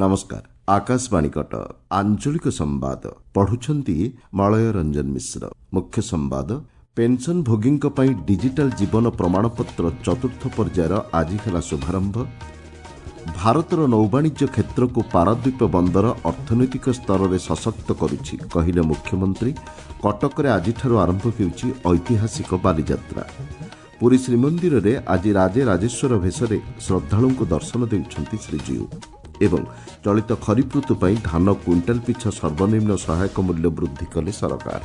ନମସ୍କାର, ଆକାଶବାଣୀ କଟକ, ଆଞ୍ଚଳିକ ସମ୍ବାଦ ପଢୁଛନ୍ତି ମଳୟ ରଞ୍ଜନ ମିଶ୍ର। ମୁଖ୍ୟ ସମ୍ବାଦ, ପେନ୍ସନଭୋଗୀଙ୍କ ପାଇଁ ଡିଜିଟାଲ ଜୀବନ ପ୍ରମାଣପତ୍ର ଚତୁର୍ଥ ପର୍ଯ୍ୟାୟର ଆଜି ହେଲା ଶୁଭାରମ୍ଭ। ଭାରତର ନୌବାଣିଜ୍ୟ କ୍ଷେତ୍ରକୁ ପାରାଦ୍ୱୀପ ବନ୍ଦର ଅର୍ଥନୈତିକ ସ୍ତରରେ ସଶକ୍ତ କରୁଛି, କହିଲେ ମୁଖ୍ୟମନ୍ତ୍ରୀ। କଟକରେ ଆଜିଠାରୁ ଆରମ୍ଭ ହେଉଛି ଐତିହାସିକ ବାଲିଯାତ୍ରା। ପୁରୀ ଶ୍ରୀମନ୍ଦିରରେ ଆଜି ରାଜେ ରାଜେଶ୍ୱର ଭେଷରେ ଶ୍ରଦ୍ଧାଳୁଙ୍କୁ ଦର୍ଶନ ଦେଉଛନ୍ତି ଶ୍ରୀଜୀଉ। ଏବଂ ଚଳିତ ଖରିଫ ଋତୁ ପାଇଁ ଧାନ କୁଇଣ୍ଟାଲ ପିଛା ସର୍ବନିମ୍ନ ସହାୟକ ମୂଲ୍ୟ ବୃଦ୍ଧି କଲେ ସରକାର।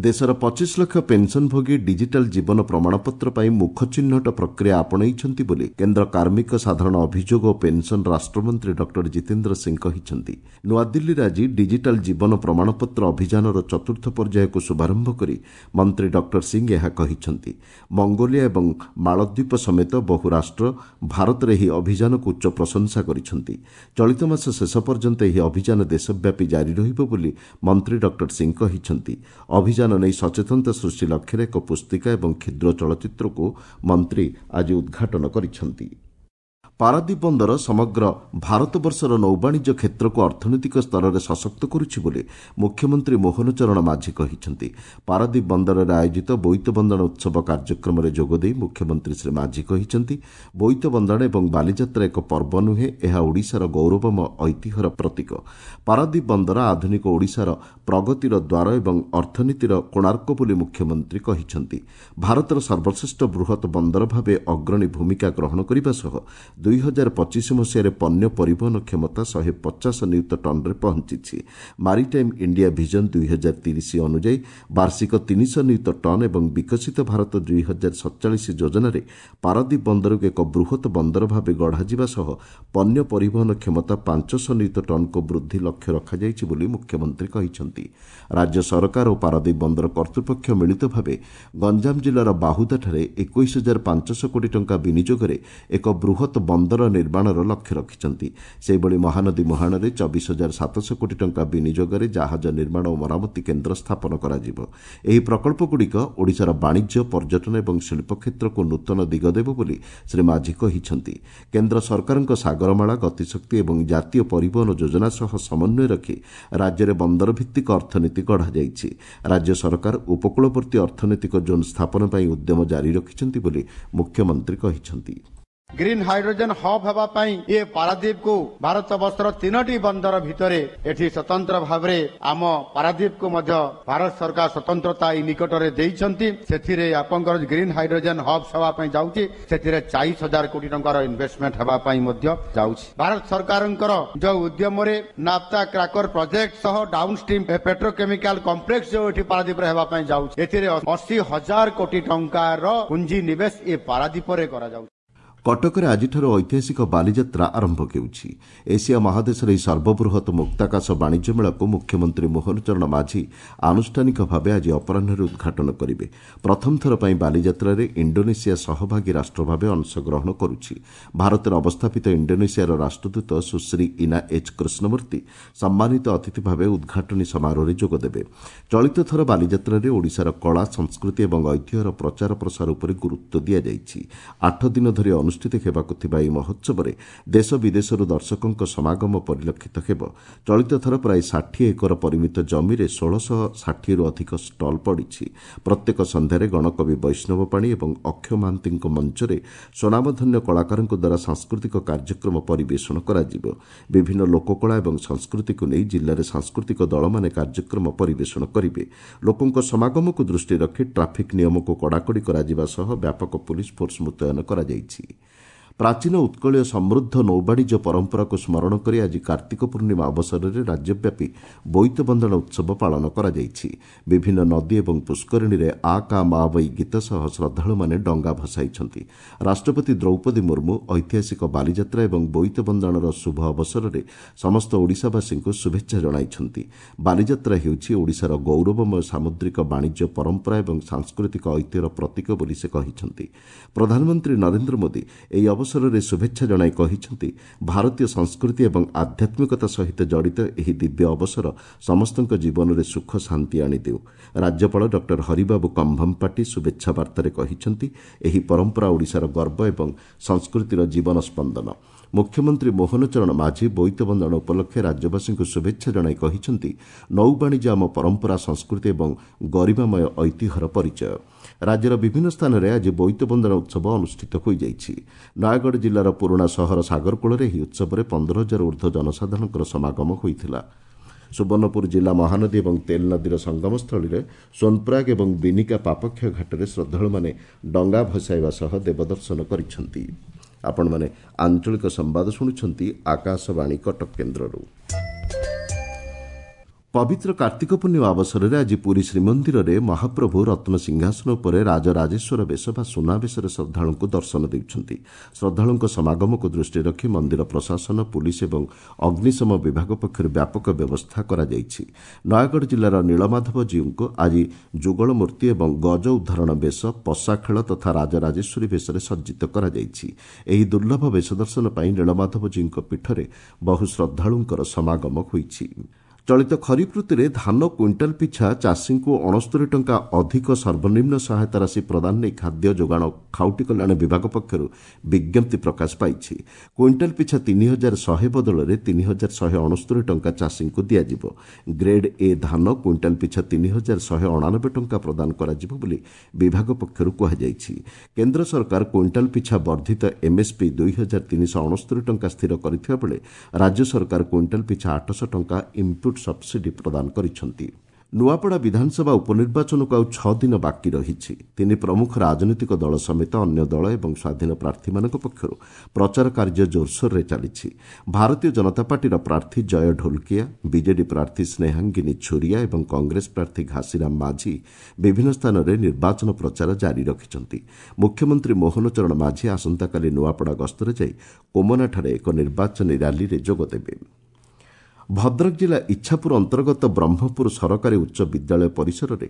ଦେଶର 25 ଲକ୍ଷ ପେନ୍ସନଭୋଗୀ ଡିଜିଟାଲ ଜୀବନ ପ୍ରମାଣପତ୍ର ପାଇଁ ମୁଖ ଚିହ୍ନଟ ପ୍ରକ୍ରିୟା ଆପଣେଇଛନ୍ତି ବୋଲି କେନ୍ଦ୍ର କାର୍ମିକ, ସାଧାରଣ ଅଭିଯୋଗ ଓ ପେନ୍ସନ ରାଷ୍ଟ୍ରମନ୍ତ୍ରୀ ଡକ୍ଟର ଜିତେନ୍ଦ୍ର ସିଂ କହିଛନ୍ତି। ନୂଆଦିଲ୍ଲୀରେ ଆଜି ଡିଜିଟାଲ ଜୀବନ ପ୍ରମାଣପତ୍ର ଅଭିଯାନର ଚତୁର୍ଥ ପର୍ଯ୍ୟାୟକୁ ଶୁଭାରମ୍ଭ କରି ମନ୍ତ୍ରୀ ଡକ୍ଟର ସିଂ ଏହା କହିଛନ୍ତି। ମଙ୍ଗୋଲିଆ ଏବଂ ମାଳଦ୍ୱୀପ ସମେତ ବହୁ ରାଷ୍ଟ୍ର ଭାରତର ଏହି ଅଭିଯାନକୁ ଉଚ୍ଚ ପ୍ରଶଂସା କରିଛନ୍ତି। ଚଳିତ ମାସ ଶେଷ ପର୍ଯ୍ୟନ୍ତ ଏହି ଅଭିଯାନ ଦେଶବ୍ୟାପୀ ଜାରି ରହିବ ବୋଲି ମନ୍ତ୍ରୀ ଡକ୍ଟର ସିଂ କହିଛନ୍ତି। ଅଭିଯାନ ନେଇ ସଚେତନତା ସୃଷ୍ଟି ଲକ୍ଷ୍ୟରେ ଏକ ପୁସ୍ତିକା ଏବଂ କ୍ଷୁଦ୍ର ଚଳଚ୍ଚିତ୍ରକୁ ମନ୍ତ୍ରୀ ଆଜି ଉଦ୍ଘାଟନ କରିଛନ୍ତି। ପାରାଦ୍ୱୀପ ବନ୍ଦର ସମଗ୍ର ଭାରତବର୍ଷର ନୌବାଣିଜ୍ୟ କ୍ଷେତ୍ରକୁ ଅର୍ଥନୈତିକ ସ୍ତରରେ ସଶକ୍ତ କରୁଛି ବୋଲି ମୁଖ୍ୟମନ୍ତ୍ରୀ ମୋହନ ଚରଣ ମାଝୀ କହିଛନ୍ତି। ପାରାଦ୍ୱୀପ ବନ୍ଦରରେ ଆୟୋଜିତ ବୋଇତ ବନ୍ଦାଣ ଉତ୍ସବ କାର୍ଯ୍ୟକ୍ରମରେ ଯୋଗଦେଇ ମୁଖ୍ୟମନ୍ତ୍ରୀ ଶ୍ରୀ ମାଝୀ କହିଛନ୍ତି, ବୋଇତ ବନ୍ଦାଣ ଏବଂ ବାଲିଯାତ୍ରା ଏକ ପର୍ବ ନୁହେଁ, ଏହା ଓଡ଼ିଶାର ଗୌରବମୟ ଐତିହ୍ୟର ପ୍ରତୀକ। ପାରାଦ୍ୱୀପ ବନ୍ଦର ଆଧୁନିକ ଓଡ଼ିଶାର ପ୍ରଗତିର ଦ୍ୱାର ଏବଂ ଅର୍ଥନୀତିର କୋଣାର୍କ ବୋଲି ମୁଖ୍ୟମନ୍ତ୍ରୀ କହିଛନ୍ତି। ଭାରତର ସର୍ବଶ୍ରେଷ୍ଠ ବୃହତ ବନ୍ଦର ଭାବେ ଅଗ୍ରଣୀ ଭୂମିକା ଗ୍ରହଣ କରିବା ସହ 2025 ମସିହାରେ ପଣ୍ୟ ପରିବହନ କ୍ଷମତା 150 ନିୟୁତ ଟନ୍ରେ ପହଞ୍ଚିଛି। ମାରିଟାଇମ୍ ଇଣ୍ଡିଆ ଭିଜନ 2030 ଅନୁଯାୟୀ ବାର୍ଷିକ 300 ନିୟୁତ ଟନ୍ ଏବଂ ବିକଶିତ ଭାରତ 2047 ଯୋଜନାରେ ପାରାଦ୍ୱୀପ ବନ୍ଦରକୁ ଏକ ବୃହତ ବନ୍ଦର ଭାବେ ଗଢ଼ାଯିବା ସହ ପଣ୍ୟ ପରିବହନ କ୍ଷମତା 500 ନିୟୁତ ଟନ୍କୁ ବୃଦ୍ଧି ଲକ୍ଷ୍ୟ ରଖାଯାଇଛି ବୋଲି ମୁଖ୍ୟମନ୍ତ୍ରୀ କହିଛନ୍ତି। ରାଜ୍ୟ ସରକାର ଓ ପାରାଦ୍ୱୀପ ବନ୍ଦର କର୍ତ୍ତୃପକ୍ଷ ମିଳିତ ଭାବେ ଗଞ୍ଜାମ ଜିଲ୍ଲାର ବାହୁଦାଠାରେ 21,500 କୋଟି ଟଙ୍କା ବିନିଯୋଗରେ ଏକ ବୃହତ ବନ୍ଦର ନିର୍ମାଣର ଲକ୍ଷ୍ୟ ରଖିଛନ୍ତି। ସେହିଭଳି ମହାନଦୀ ମୁହାଣରେ 24,700 କୋଟି ଟଙ୍କା ବିନିଯୋଗରେ ଜାହାଜ ନିର୍ମାଣ ଓ ମରାମତି କେନ୍ଦ୍ର ସ୍ଥାପନ କରାଯିବ। ଏହି ପ୍ରକଳ୍ପଗୁଡ଼ିକ ଓଡ଼ିଶାର ବାଣିଜ୍ୟ, ପର୍ଯ୍ୟଟନ ଏବଂ ଶିଳ୍ପ କ୍ଷେତ୍ରକୁ ନୂତନ ଦିଗ ଦେବ ବୋଲି ଶ୍ରୀ ମାଝୀ କହିଛନ୍ତି। କେନ୍ଦ୍ର ସରକାରଙ୍କ ସାଗରମାଳା, ଗତିଶକ୍ତି ଏବଂ ଜାତୀୟ ପରିବହନ ଯୋଜନା ସହ ସମନ୍ୱୟ ରଖି ରାଜ୍ୟରେ ବନ୍ଦର ଭିତ୍ତିକ ଅର୍ଥନୀତି ଗଢ଼ାଯାଇଛି। ରାଜ୍ୟ ସରକାର ଉପକୂଳବର୍ତ୍ତୀ ଅର୍ଥନୈତିକ ଜୋନ୍ ସ୍ଥାପନ ପାଇଁ ଉଦ୍ୟମ ଜାରି ରଖିଛନ୍ତି ବୋଲି ମୁଖ୍ୟମନ୍ତ୍ରୀ କହିଛନ୍ତି। ଗ୍ରୀନ୍ ହାଇଡ୍ରୋଜେନ ହବ୍ ହେବା ପାଇଁ ଏ ପାରାଦ୍ୱୀପକୁ ଭାରତ ବର୍ଷର 3ଟି ବନ୍ଦର ଭିତରେ ଏଠି ସ୍ୱତନ୍ତ୍ର ଭାବରେ ଆମ ପାରାଦ୍ୱୀପକୁ ମଧ୍ୟ ଭାରତ ସରକାର ସ୍ୱତନ୍ତ୍ରତା ଏଇ ନିକଟରେ ଦେଇଛନ୍ତି। ସେଥିରେ ଆପଣଙ୍କର ଗ୍ରୀନ୍ ହାଇଡ୍ରୋଜେନ ହବ୍ ହେବା ପାଇଁ ଯାଉଛି, ସେଥିରେ 40,000 କୋଟି ଟଙ୍କାର ଇନଭେଷ୍ଟମେଣ୍ଟ ହେବା ପାଇଁ ମଧ୍ୟ ଯାଉଛି। ଭାରତ ସରକାରଙ୍କର ଯୋଉ ଉଦ୍ୟମରେ ନାଫ୍ତା କ୍ରାକର ପ୍ରୋଜେକ୍ଟ ସହ ଡାଉନ ଷ୍ଟ୍ରିମ୍ ପେଟ୍ରୋକେମିକାଲ କମ୍ପ୍ଲେକ୍ସ ଯୋଉ ଏଠି ପାରାଦ୍ୱୀପରେ ହେବା ପାଇଁ ଯାଉଛି, ଏଥିରେ 80,000 କୋଟି ଟଙ୍କାର ପୁଞ୍ଜି ନିବେଶ ଏ ପାରାଦ୍ୱୀପରେ କରାଯାଉଛି। କଟକରେ ଆଜିଠାରୁ ଐତିହାସିକ ବାଲିଯାତ୍ରା ଆରମ୍ଭ ହେଉଛି। ଏସିଆ ମହାଦେଶର ଏହି ସର୍ବବୃହତ ମୁକ୍ତାକାଶ ବାଣିଜ୍ୟ ମେଳାକୁ ମୁଖ୍ୟମନ୍ତ୍ରୀ ମୋହନ ଚରଣ ମାଝୀ ଆନୁଷ୍ଠାନିକ ଭାବେ ଆଜି ଅପରାହ୍ନରେ ଉଦ୍ଘାଟନ କରିବେ। ପ୍ରଥମ ଥର ପାଇଁ ବାଲିଯାତ୍ରାରେ ଇଣ୍ଡୋନେସିଆ ସହଭାଗୀ ରାଷ୍ଟ୍ର ଭାବେ ଅଂଶଗ୍ରହଣ କରୁଛି। ଭାରତରେ ଅବସ୍ଥାପିତ ଇଣ୍ଡୋନେସିଆର ରାଷ୍ଟ୍ରଦୂତ ସୁଶ୍ରୀ ଇନା ଏଚ୍ କୃଷ୍ଣମୂର୍ତ୍ତି ସମ୍ମାନିତ ଅତିଥି ଭାବେ ଉଦ୍ଘାଟନୀ ସମାରୋହରେ ଯୋଗଦେବେ। ଚଳିତ ଥର ବାଲିଯାତ୍ରାରେ ଓଡ଼ିଶାର କଳା, ସଂସ୍କୃତି ଏବଂ ଐତିହ୍ୟର ପ୍ରଚାର ପ୍ରସାର ଉପରେ ଗୁରୁତ୍ୱ ଦିଆଯାଇଛି। 8 ଦିନ ଧରି ଅନୁଷ୍ଠିତ ହେବାକୁ ଥିବା ଏହି ମହୋତ୍ସବରେ ଦେଶ ବିଦେଶରୁ ଦର୍ଶକଙ୍କ ସମାଗମ ପରିଲକ୍ଷିତ ହେବ। ଚଳିତ ଥର ପ୍ରାୟ 60 ଏକର ପରିମିତ ଜମିରେ 1660ରୁ ଅଧିକ ଷ୍ଟଲ୍ ପଡ଼ିଛି। ପ୍ରତ୍ୟେକ ସନ୍ଧ୍ୟାରେ ଗଣକବି ବୈଷ୍ଣବ ପାଣି ଏବଂ ଅକ୍ଷୟ ମହାନ୍ତିଙ୍କ ମଞ୍ଚରେ ସ୍ୱନାମଧନ୍ୟ କଳାକାରଙ୍କ ଦ୍ୱାରା ସାଂସ୍କୃତିକ କାର୍ଯ୍ୟକ୍ରମ ପରିବେଷଣ କରାଯିବ। ବିଭିନ୍ନ ଲୋକକଳା ଏବଂ ସଂସ୍କୃତିକୁ ନେଇ ଜିଲ୍ଲାରେ ସାଂସ୍କୃତିକ ଦଳମାନେ କାର୍ଯ୍ୟକ୍ରମ ପରିବେଷଣ କରିବେ। ଲୋକଙ୍କ ସମାଗମକୁ ଦୃଷ୍ଟିରେ ରଖି ଟ୍ରାଫିକ୍ ନିୟମକୁ କଡ଼ାକଡ଼ି କରାଯିବା ସହ ବ୍ୟାପକ ପୁଲିସ୍ ଫୋର୍ସ ମୁତୟନ କରାଯାଇଛି। ପ୍ରାଚୀନ ଉତ୍କଳୀୟ ସମୃଦ୍ଧ ନୌବାଣିଜ୍ୟ ପରମ୍ପରାକୁ ସ୍ମରଣ କରି ଆଜି କାର୍ତ୍ତିକ ପୂର୍ଣ୍ଣିମା ଅବସରରେ ରାଜ୍ୟବ୍ୟାପୀ ବୋଇତ ବନ୍ଦାଣ ଉତ୍ସବ ପାଳନ କରାଯାଇଛି। ବିଭିନ୍ନ ନଦୀ ଏବଂ ପୁଷ୍କରିଣୀରେ ଆ କା ମା ବୈ ଗୀତ ସହ ଶ୍ରଦ୍ଧାଳୁମାନେ ଡଙ୍ଗା ଭସାଇଛନ୍ତି। ରାଷ୍ଟ୍ରପତି ଦ୍ରୌପଦୀ ମୁର୍ମୁ ଐତିହାସିକ ବାଲିଯାତ୍ରା ଏବଂ ବୋଇତ ବନ୍ଦାଣର ଶୁଭ ଅବସରରେ ସମସ୍ତ ଓଡ଼ିଶାବାସୀଙ୍କୁ ଶୁଭେଚ୍ଛା ଜଣାଇଛନ୍ତି। ବାଲିଯାତ୍ରା ହେଉଛି ଓଡ଼ିଶାର ଗୌରବମୟ ସାମୁଦ୍ରିକ ବାଣିଜ୍ୟ ପରମ୍ପରା ଏବଂ ସାଂସ୍କୃତିକ ଐତିହ୍ୟର ପ୍ରତୀକ ବୋଲି ସେ କହିଛନ୍ତି। ପ୍ରଧାନମନ୍ତ୍ରୀ ନରେନ୍ଦ୍ର ମୋଦି ଏହି ଅବସରରେ ଶୁଭେଚ୍ଛା ଜଣାଇ କହିଛନ୍ତି, ଭାରତୀୟ ସଂସ୍କୃତି ଏବଂ ଆଧ୍ୟାତ୍ମିକତା ସହିତ ଜଡ଼ିତ ଏହି ଦିବ୍ୟ ଅବସର ସମସ୍ତଙ୍କ ଜୀବନରେ ସୁଖ ଶାନ୍ତି ଆଣିଦେଉ। ରାଜ୍ୟପାଳ ଡକ୍ଟର ହରିବାବୁ କମ୍ଭମପାଟି ଶୁଭେଚ୍ଛା ବାର୍ତ୍ତାରେ କହିଛନ୍ତି, ଏହି ପରମ୍ପରା ଓଡ଼ିଶାର ଗର୍ବ ଏବଂ ସଂସ୍କୃତିର ଜୀବନ ସ୍ପନ୍ଦନ। ମୁଖ୍ୟମନ୍ତ୍ରୀ ମୋହନ ଚରଣ ମାଝୀ ବୋଇତ ବନ୍ଦାଣ ଉପଲକ୍ଷେ ରାଜ୍ୟବାସୀଙ୍କୁ ଶୁଭେଚ୍ଛା ଜଣାଇ କହିଛନ୍ତି, ନୌବାଣିଜ୍ୟ ଆମ ପରମ୍ପରା, ସଂସ୍କୃତି ଏବଂ ଗରିମାମୟ ଐତିହ୍ୟର ପରିଚୟ। ରାଜ୍ୟର ବିଭିନ୍ନ ସ୍ଥାନରେ ଆଜି ବୋଇତ ବନ୍ଦାଣ ଉତ୍ସବ ଅନୁଷ୍ଠିତ ହୋଇଯାଇଛି। ନୟାଗଡ଼ ଜିଲ୍ଲାର ପୁରୁଣା ସହର ସାଗରକୂଳରେ ଏହି ଉତ୍ସବରେ 15,000 ଉର୍ଦ୍ଧ୍ୱ ଜନସାଧାରଣଙ୍କର ସମାଗମ ହୋଇଥିଲା। ସୁବର୍ଣ୍ଣପୁର ଜିଲ୍ଲା ମହାନଦୀ ଏବଂ ତେଲ ନଦୀର ସଙ୍ଗମସ୍ଥଳୀରେ ସୋନପ୍ରୟାଗ ଏବଂ ବିନିକା ପାପକ୍ଷୟ ଘାଟରେ ଶ୍ରଦ୍ଧାଳୁମାନେ ଡଙ୍ଗା ଭସାଇବା ସହ ଦେବଦର୍ଶନ କରିଛନ୍ତି। ଆପଣମାନେ ଆଞ୍ଚଳିକ ସମ୍ବାଦ ଶୁଣୁଛନ୍ତି ଆକାଶବାଣୀ କଟକ କେନ୍ଦ୍ରରୁ। ପବିତ୍ର କାର୍ତ୍ତିକ ପୂର୍ଣ୍ଣିମା ଅବସରରେ ଆଜି ପୁରୀ ଶ୍ରୀମନ୍ଦିରରେ ମହାପ୍ରଭୁ ରତ୍ନ ସିଂହାସନ ଉପରେ ରାଜରାଜେଶ୍ୱର ବେଶ ବା ସୁନାବେଶରେ ଶ୍ରଦ୍ଧାଳୁଙ୍କୁ ଦର୍ଶନ ଦେଉଛନ୍ତି। ଶ୍ରଦ୍ଧାଳୁଙ୍କ ସମାଗମକୁ ଦୃଷ୍ଟିରେ ରଖି ମନ୍ଦିର ପ୍ରଶାସନ, ପୁଲିସ୍ ଏବଂ ଅଗ୍ନିଶମ ବିଭାଗ ପକ୍ଷରୁ ବ୍ୟାପକ ବ୍ୟବସ୍ଥା କରାଯାଇଛି। ନୟାଗଡ଼ ଜିଲ୍ଲାର ନୀଳମାଧବ ଜୀଉଙ୍କୁ ଆଜି ଯୁଗଳ ମୂର୍ତ୍ତି ଏବଂ ଗଜ ଉଦ୍ଧାରଣ ବେଶ, ପଶାଖେଳ ତଥା ରାଜରାଜେଶ୍ୱରୀ ବେଶରେ ସଜ୍ଜିତ କରାଯାଇଛି। ଏହି ଦୁର୍ଲଭ ବେଶ ଦର୍ଶନ ପାଇଁ ନୀଳମାଧବ ଜୀଉଙ୍କ ପୀଠରେ ବହୁ ଶ୍ରଦ୍ଧାଳୁଙ୍କର ସମାଗମ ହୋଇଛି। ଚଳିତ ଖରିଫ ଋତୁରେ ଧାନ କୁଇଣ୍ଟାଲ ପିଛା ଚାଷୀଙ୍କୁ 69 ଟଙ୍କା ଅଧିକ ସର୍ବନିମ୍ନ ସହାୟତା ରାଶି ପ୍ରଦାନ ନେଇ ଖାଦ୍ୟ ଯୋଗାଣ ଖାଉଟି କଲ୍ୟାଣ ବିଭାଗ ପକ୍ଷରୁ ବିଜ୍ଞପ୍ତି ପ୍ରକାଶ ପାଇଛି। କୁଇଣ୍ଟାଲ ପିଛା 3,100 ବଦଳରେ 3,169 ଟଙ୍କା ଚାଷୀଙ୍କୁ ଦିଆଯିବ। ଗ୍ରେଡ୍ ଏ ଧାନ କୁଇଣ୍ଟାଲ ପିଛା 3,189 ଟଙ୍କା ପ୍ରଦାନ କରାଯିବ ବୋଲି ବିଭାଗ ପକ୍ଷରୁ କୁହାଯାଇଛି। କେନ୍ଦ୍ର ସରକାର କୁଇଣ୍ଟାଲ ପିଛା ବର୍ଦ୍ଧିତ ଏମ୍ଏସ୍ପି 2,369 ଟଙ୍କା ସ୍ଥିର କରିଥିବା ବେଳେ ରାଜ୍ୟ ସରକାର କୁଇଣ୍ଟାଲ ପିଛା 800 ଟଙ୍କା ଇନ୍ପୁଟ୍ ସବସିଡି ପ୍ରଦାନ କରିଛନ୍ତି। ନୂଆପଡ଼ା ବିଧାନସଭା ଉପନିର୍ବାଚନକୁ ଆଉ 6 ଦିନ ବାକି ରହିଛି। ତିନି ପ୍ରମୁଖ ରାଜନୈତିକ ଦଳ ସମେତ ଅନ୍ୟ ଦଳ ଏବଂ ସ୍ୱାଧୀନ ପ୍ରାର୍ଥୀମାନଙ୍କ ପକ୍ଷରୁ ପ୍ରଚାର କାର୍ଯ୍ୟ ଜୋରସୋରରେ ଚାଲିଛି। ଭାରତୀୟ ଜନତା ପାର୍ଟିର ପ୍ରାର୍ଥୀ ଜୟ ଢୋଲକିଆ, ବିଜେଡି ପ୍ରାର୍ଥୀ ସ୍ନେହାଙ୍ଗିନୀ ଛୁରିଆ ଏବଂ କଂଗ୍ରେସ ପ୍ରାର୍ଥୀ ଘାସିରାମ ମାଝୀ ବିଭିନ୍ନ ସ୍ଥାନରେ ନିର୍ବାଚନ ପ୍ରଚାର ଜାରି ରଖିଛନ୍ତି। ମୁଖ୍ୟମନ୍ତ୍ରୀ ମୋହନ ଚରଣ ମାଝୀ ଆସନ୍ତାକାଲି ନୂଆପଡ଼ା ଗସ୍ତରେ ଯାଇ କୋମନାଠାରେ ଏକ ନିର୍ବାଚନୀ ର୍ୟାଲିରେ ଯୋଗଦେବେ। ଭଦ୍ରକ ଜିଲ୍ଲା ଇଚ୍ଛାପୁର ଅନ୍ତର୍ଗତ ବ୍ରହ୍ମପୁର ସରକାରୀ ଉଚ୍ଚ ବିଦ୍ୟାଳୟ ପରିସରରେ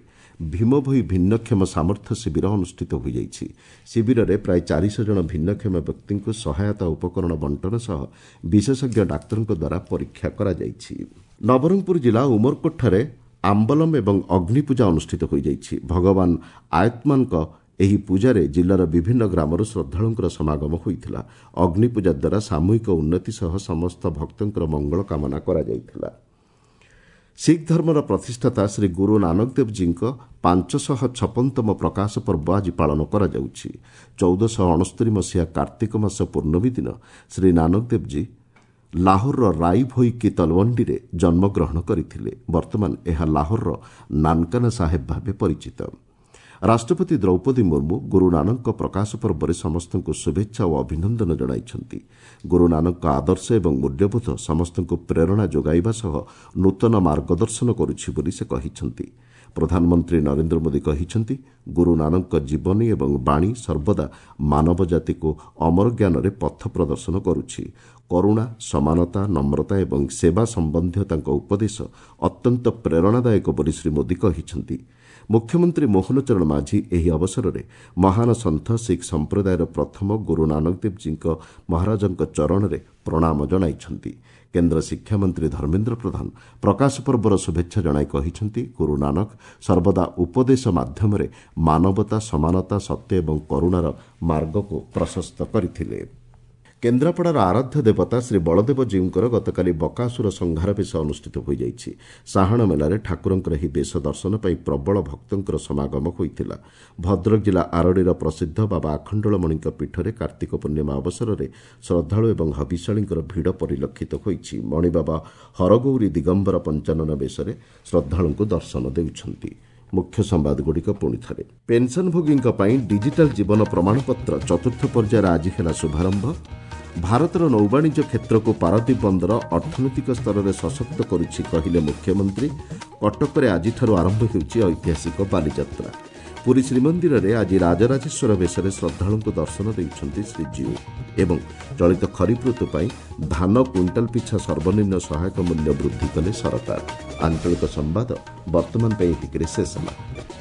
ଭୀମଭୋଇ ଭିନ୍ନକ୍ଷମ ସାମର୍ଥ୍ୟ ଶିବିର ଅନୁଷ୍ଠିତ ହୋଇଯାଇଛି। ଶିବିରରେ ପ୍ରାୟ 400 ଜଣ ଭିନ୍ନକ୍ଷମ ବ୍ୟକ୍ତିଙ୍କୁ ସହାୟତା ଉପକରଣ ବଣ୍ଟନ ସହ ବିଶେଷଜ୍ଞ ଡାକ୍ତରଙ୍କ ଦ୍ୱାରା ପରୀକ୍ଷା କରାଯାଇଛି। ନବରଙ୍ଗପୁର ଜିଲ୍ଲା ଉମରକୋଟଠାରେ ଆମ୍ବଲମ ଏବଂ ଅଗ୍ନିପୂଜା ଅନୁଷ୍ଠିତ ହୋଇଯାଇଛି। ଭଗବାନ ଆୟତ୍ମାନଙ୍କ ଏହି ପୂଜାରେ ଜିଲ୍ଲାର ବିଭିନ୍ନ ଗ୍ରାମରୁ ଶ୍ରଦ୍ଧାଳୁଙ୍କର ସମାଗମ ହୋଇଥିଲା। ଅଗ୍ନିପୂଜା ଦ୍ୱାରା ସାମୂହିକ ଉନ୍ନତି ସହ ସମସ୍ତ ଭକ୍ତଙ୍କର ମଙ୍ଗଳ କାମନା କରାଯାଇଥିଲା। ଶିଖ୍ ଧର୍ମର ପ୍ରତିଷ୍ଠାତା ଶ୍ରୀ ଗୁରୁ ନାନକ ଦେବଜୀଙ୍କ 556ତମ ପ୍ରକାଶ ପର୍ବ ଆଜି ପାଳନ କରାଯାଉଛି। 1469 ମସିହା କାର୍ତ୍ତିକ ମାସ ପୂର୍ଣ୍ଣମୀ ଦିନ ଶ୍ରୀ ନାନକ ଦେବଜୀ ଲାହୋରର ରାଇ ଭୋଇ କି ତଲୱଣ୍ଡିରେ ଜନ୍ମଗ୍ରହଣ କରିଥିଲେ। ବର୍ତ୍ତମାନ ଏହା ଲାହୋରର ନାନକାନା ସାହେବ ଭାବେ ପରିଚିତ। ରାଷ୍ଟ୍ରପତି ଦ୍ରୌପଦୀ ମୁର୍ମୁ ଗୁରୁ ନାନକଙ୍କ ପ୍ରକାଶ ପର୍ବରେ ସମସ୍ତଙ୍କୁ ଶୁଭେଚ୍ଛା ଓ ଅଭିନନ୍ଦନ ଜଣାଇଛନ୍ତି। ଗୁରୁ ନାନକଙ୍କ ଆଦର୍ଶ ଏବଂ ମୂଲ୍ୟବୋଧ ସମସ୍ତଙ୍କୁ ପ୍ରେରଣା ଯୋଗାଇବା ସହ ନୂତନ ମାର୍ଗଦର୍ଶନ କରୁଛି ବୋଲି ସେ କହିଛନ୍ତି। ପ୍ରଧାନମନ୍ତ୍ରୀ ନରେନ୍ଦ୍ର ମୋଦି କହିଛନ୍ତି, ଗୁରୁ ନାନକଙ୍କ ଜୀବନୀ ଏବଂ ବାଣୀ ସର୍ବଦା ମାନବ ଜାତିକୁ ଅମର ଜ୍ଞାନରେ ପଥ ପ୍ରଦର୍ଶନ କରୁଛି। କରୁଣା, ସମାନତା, ନମ୍ରତା ଏବଂ ସେବା ସମ୍ବନ୍ଧୀୟ ତାଙ୍କ ଉପଦେଶ ଅତ୍ୟନ୍ତ ପ୍ରେରଣାଦାୟକ ବୋଲି ଶ୍ରୀ ମୋଦି କହିଛନ୍ତି। ମୁଖ୍ୟମନ୍ତ୍ରୀ ମୋହନ ଚରଣ ମାଝୀ ଏହି ଅବସରରେ ମହାନ ସନ୍ଥ ଶିଖ୍ ସମ୍ପ୍ରଦାୟର ପ୍ରଥମ ଗୁରୁ ନାନକ ଦେବଜୀଙ୍କ ମହାରାଜଙ୍କ ଚରଣରେ ପ୍ରଣାମ ଜଣାଇଛନ୍ତି। କେନ୍ଦ୍ର ଶିକ୍ଷାମନ୍ତ୍ରୀ ଧର୍ମେନ୍ଦ୍ର ପ୍ରଧାନ ପ୍ରକାଶ ପର୍ବର ଶୁଭେଚ୍ଛା ଜଣାଇ କହିଛନ୍ତି, ଗୁରୁ ନାନକ ସର୍ବଦା ଉପଦେଶ ମାଧ୍ୟମରେ ମାନବତା, ସମାନତା, ସତ୍ୟ ଏବଂ କରୁଣାର ମାର୍ଗକୁ ପ୍ରଶସ୍ତ କରିଥିଲେ। କେନ୍ଦ୍ରାପଡ଼ାର ଆରାଧ୍ୟ ଦେବତା ଶ୍ରୀ ବଳଦେବଜୀଉଙ୍କର ଗତକାଲି ବକାସୁର ସଂହାର ବେଶ ଅନୁଷ୍ଠିତ ହୋଇଯାଇଛି। ସାହାଣ ମେଲାରେ ଠାକୁରଙ୍କର ଏହି ବେଶ ଦର୍ଶନ ପାଇଁ ପ୍ରବଳ ଭକ୍ତଙ୍କର ସମାଗମ ହୋଇଥିଲା। ଭଦ୍ରକ ଜିଲ୍ଲା ଆରଡ଼ିର ପ୍ରସିଦ୍ଧ ବାବା ଆଖଣ୍ଡଳମଣିଙ୍କ ପୀଠରେ କାର୍ତ୍ତିକ ପୂର୍ଣ୍ଣିମା ଅବସରରେ ଶ୍ରଦ୍ଧାଳୁ ଏବଂ ହବିଷ୍ୟାଳୀଙ୍କର ଭିଡ଼ ପରିଲକ୍ଷିତ ହୋଇଛି। ମଣିବାବା ହରଗୌରୀ ଦିଗମ୍ବର ପଞ୍ଚାନନ ବେଶରେ ଶ୍ରଦ୍ଧାଳୁଙ୍କୁ ଦର୍ଶନ ଦେଉଛନ୍ତି। ମୁଖ୍ୟ ସମ୍ବାଦଗୁଡ଼ିକ ପୁଣି ଥରେ। ପେନ୍ସନଭୋଗୀଙ୍କ ପାଇଁ ଡିଜିଟାଲ ଜୀବନ ପ୍ରମାଣପତ୍ର ଚତୁର୍ଥ ପର୍ଯ୍ୟାୟରେ ଆଜି ହେଲା ଶୁଭାରମ୍ଭ। ଭାରତର ନୌବାଣିଜ୍ୟ କ୍ଷେତ୍ରକୁ ପାରାଦୀପ ବନ୍ଦର ଅର୍ଥନୈତିକ ସ୍ତରରେ ସଶକ୍ତ କରୁଛି କହିଲେ ମୁଖ୍ୟମନ୍ତ୍ରୀ। କଟକରେ ଆଜିଠାରୁ ଆରମ୍ଭ ହେଉଛି ଐତିହାସିକ ବାଲିଯାତ୍ରା। ପୁରୀ ଶ୍ରୀମନ୍ଦିରରେ ଆଜି ରାଜରାଜେଶ୍ୱର ବେଶରେ ଶ୍ରଦ୍ଧାଳୁଙ୍କୁ ଦର୍ଶନ ଦେଉଛନ୍ତି ଶ୍ରୀଜୀଉ। ଏବଂ ଚଳିତ ଖରିଫ ଋତୁ ପାଇଁ ଧାନ କୁଇଣ୍ଟାଲ ପିଛା ସର୍ବନିମ୍ନ ସହାୟକ ମୂଲ୍ୟ ବୃଦ୍ଧି କଲେ ସରକାର। ଆଞ୍ଚଳିକ ସମ୍ବାଦ ବର୍ତ୍ତମାନ ପାଇଁ ଏତିକିରେ ଶେଷ ହେଲା।